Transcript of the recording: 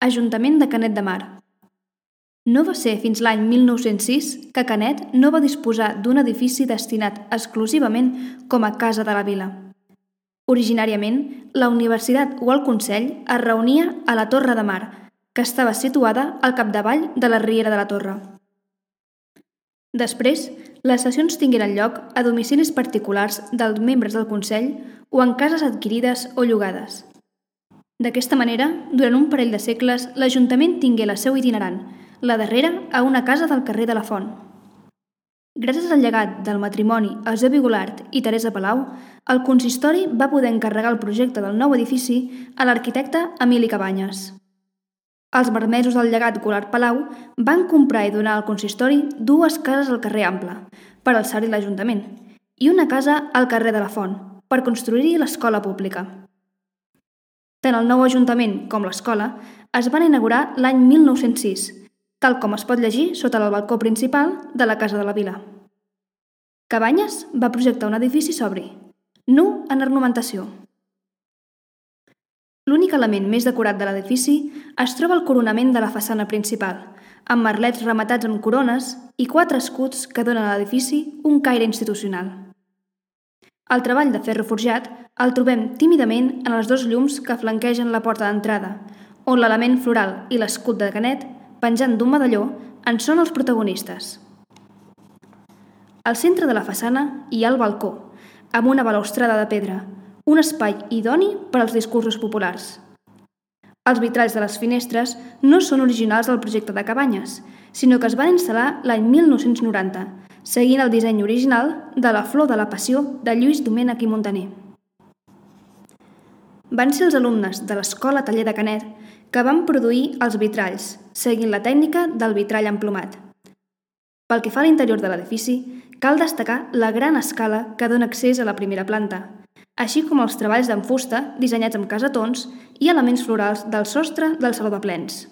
Ajuntament de Canet de Mar. No va ser fins l'any 1906 que Canet no va disposar d'un edifici destinat exclusivament com a Casa de la Vila. Originàriament, la universitat o el Consell es reunia a la Torre de Mar, que estava situada al capdavall de la Riera de la Torre. Després, les sessions tingueren lloc a domicilis particulars dels membres del Consell o en cases adquirides o llogades. D'aquesta manera, durant un parell de segles, l'Ajuntament tingué la seu itinerant, la darrera a una casa del carrer de la Font. Gràcies al llegat del matrimoni Eusebi Golart i Teresa Palau, el consistori va poder encarregar el projecte del nou edifici a l'arquitecte Emili Cabanyes. Els marmesos del llegat Golart-Palau van comprar i donar al consistori 2 cases al carrer Ample, per alçar-hi l'Ajuntament, i una casa al carrer de la Font, per construir-hi l'escola pública. Tant el nou Ajuntament com l'escola es van inaugurar l'any 1906, tal com es pot llegir sota el balcó principal de la Casa de la Vila. Cabanyes va projectar un edifici sobri, nu en ornamentació. L'únic element més decorat de l'edifici es troba al coronament de la façana principal, amb merlets rematats amb corones i 4 escuts que donen a l'edifici un caire institucional. El treball de ferro forjat el trobem tímidament en els 2 llums que flanquegen la porta d'entrada, on l'element floral i l'escut de Canet, penjant d'un medalló, en són els protagonistes. Al centre de la façana hi ha el balcó, amb una balustrada de pedra, un espai idoni per als discursos populars. Els vitralls de les finestres no són originals del projecte de Cabanyes, sinó que es van instal·lar l'any 1990, seguint el disseny original de la Flor de la Passió de Lluís Domènech i Montaner. Van ser els alumnes de l'Escola Taller de Canet que van produir els vitralls, seguint la tècnica del vitrall emplomat. Pel que fa a l'interior de l'edifici, cal destacar la gran escala que dona accés a la primera planta, així com els treballs en fusta dissenyats amb cassetons i elements florals del sostre del saló de plens.